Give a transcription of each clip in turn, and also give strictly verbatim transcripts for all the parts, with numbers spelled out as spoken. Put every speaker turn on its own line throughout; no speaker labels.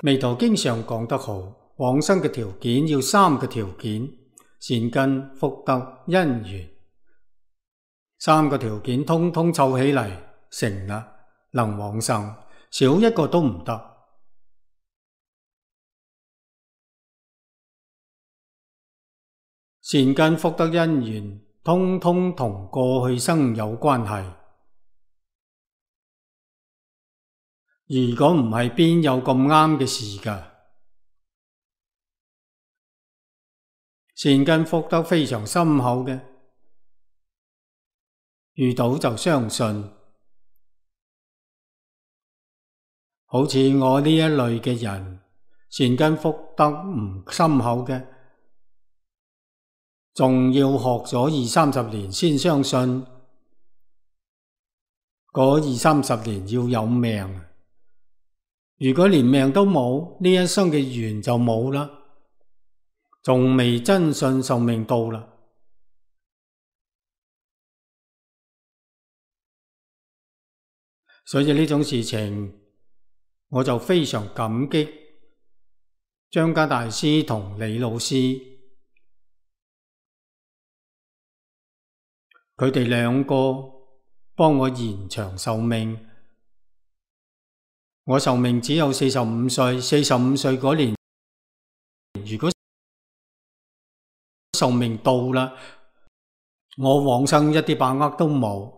彌陀經上講得好，往生嘅條件要三個條件：善根、福德、因緣。三個條件通通湊起嚟成啦，能往生，少一個都唔得。善根、福德、因緣，通通同過去生有關係。如果唔係，邊有咁啱嘅事㗎？善根福德非常深厚嘅，遇到就相信。好似我呢一類嘅人，善根福德唔深厚嘅，仲要學咗二三十年先相信。嗰二三十年要有命，如果連命都冇，呢一生嘅緣就冇啦，仲未真信壽命到啦。所以呢種事情，我就非常感激張家大師同李老師，佢哋兩個幫我延長壽命。我壽命只有四十五歲，四十五歲嗰年，如果壽命到啦，我往生一啲把握都冇。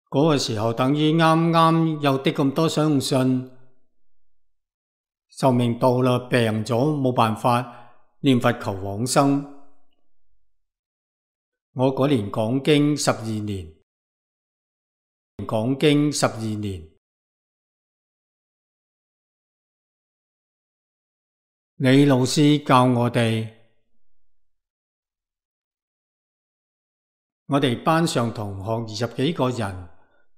嗰個時候等於啱啱有啲咁多相信，壽命到啦，病咗冇辦法念佛求往生。我嗰年講經十二年，講經十二年，李老師教我哋，我哋班上同學二十幾個人，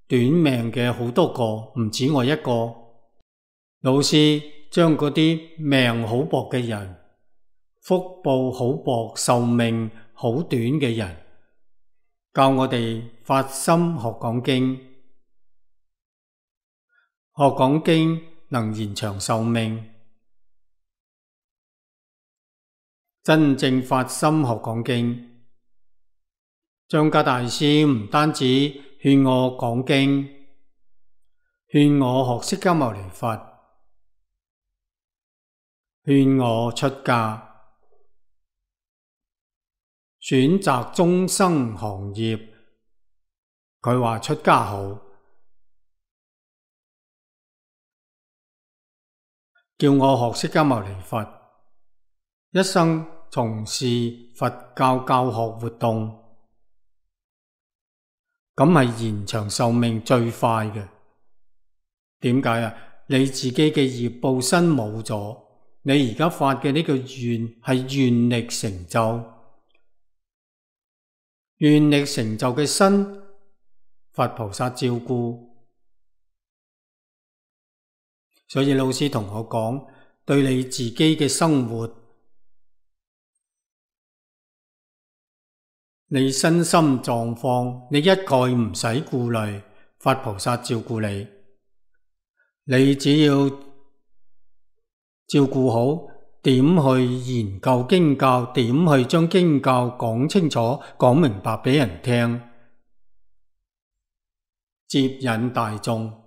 短命嘅好多個，唔止我一個。老師將嗰啲命好薄嘅人，福報好薄、壽命好短嘅人，教我哋發心學講經。學講經能延長壽命，真正發心學講經。張家大師唔單止勸我講經，勸我學釋迦牟尼佛，勸我出家，選擇終生行業。佢話出家好，叫我學釋迦牟尼佛，一生從事佛教教學活動。咁係延長壽命最快嘅。點解啊？你自己嘅業報身冇咗，你而家發嘅呢個願係願力成就，願力成就嘅身，佛菩薩照顧。所以老師同我講，對你自己嘅生活，你身心狀況，你一概唔使顧慮，佛菩薩照顧你。你只要照顧好，點去研究經教，點去將經教講清楚、講明白俾人聽，接引大眾。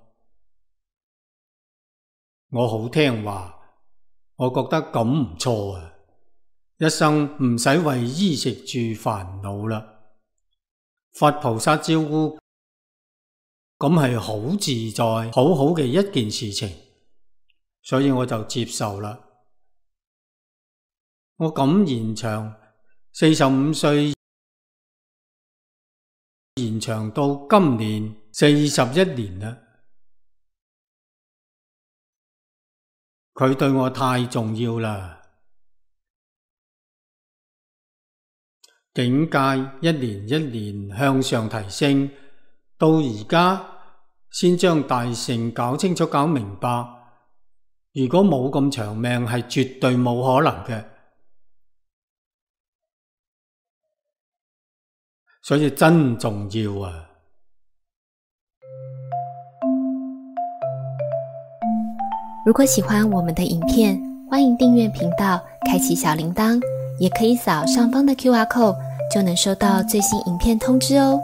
我好聽話，我覺得咁唔錯啊！一生唔使為衣食住煩惱啦，佛菩薩照顧，咁係好自在、好好嘅一件事情，所以我就接受啦。我咁延長四十五歲，延長到今年四十一年啦。佢對我太重要啦。境界一年一年向上提升，到而家先將大乘搞清楚、搞明白。如果冇咁長命，係絕對冇可能嘅。所以真重要啊！
如果喜欢我们的影片，欢迎订阅频道，开启小铃铛，也可以扫上方的 Q R code， 就能收到最新影片通知哦。